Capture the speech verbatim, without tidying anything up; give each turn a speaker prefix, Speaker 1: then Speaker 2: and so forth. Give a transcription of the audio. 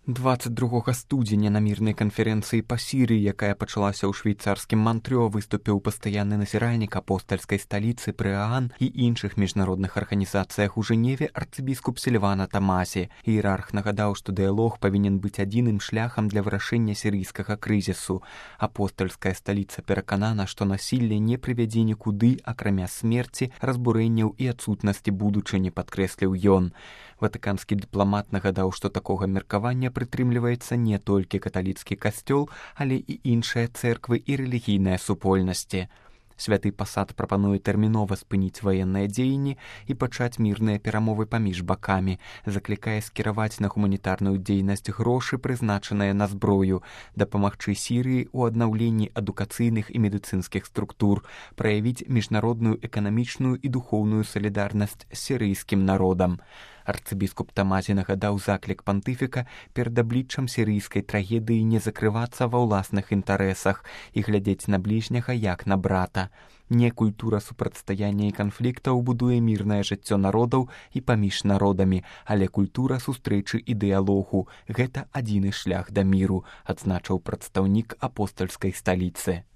Speaker 1: двадцать другога студзеня на мірнай канферэнцыі па Сірыі, якая пачалася ў швейцарскім Мантрё, выступіў пастаянны назіральнік апостальскай сталіцы пры ААН і іншых міжнародных арганізацыях у Жэневе арцыбіскуп Сільвана Тамасі. Іерарх нагадаў, што дыялог павінен быць адзіным шляхам для вырашэння сірыйскага крызісу. Апостальская сталіца пераканана, што насілле не прывядзе нікуды, акрамя смерці, разбурэнняў і адсутнасці будучыні, падкрэсліў ён. Ватыканскі дыпламат нагадаў, што такога меркавання прытрымліваецца не толькі каталіцкі касцёл, але і іншыя цэрквы і рэлігійныя супольнасці. Святы пасад прапануе тэрмінова спыніць ваенныя дзеянні і пачаць мірныя перамовы паміж бакамі, заклікае скіраваць на гуманітарную дзейнасць грошы, прызначаныя на зброю, дапамагчы Сірыі ў аднаўленні адукацыйных і медыцынскіх структур, праявіць міжнародную эканамічную і духоўную салідарнасць з сірыйскім народам. Арцыбіскуп Тамазі нагадаў заклік пантыфіка перад абліччам сірыйскай трагедыі не закрывацца ва ўласных інтарэсах і глядзець на бліжняга як на брата. Не культура супрацьстаяння і канфліктаў будуе мірнае жыццё народаў і паміж народамі, але культура сустрэчы і дыялогу. Гэта адзіны шлях да міру, адзначыў прадстаўнік апостальскай сталіцы.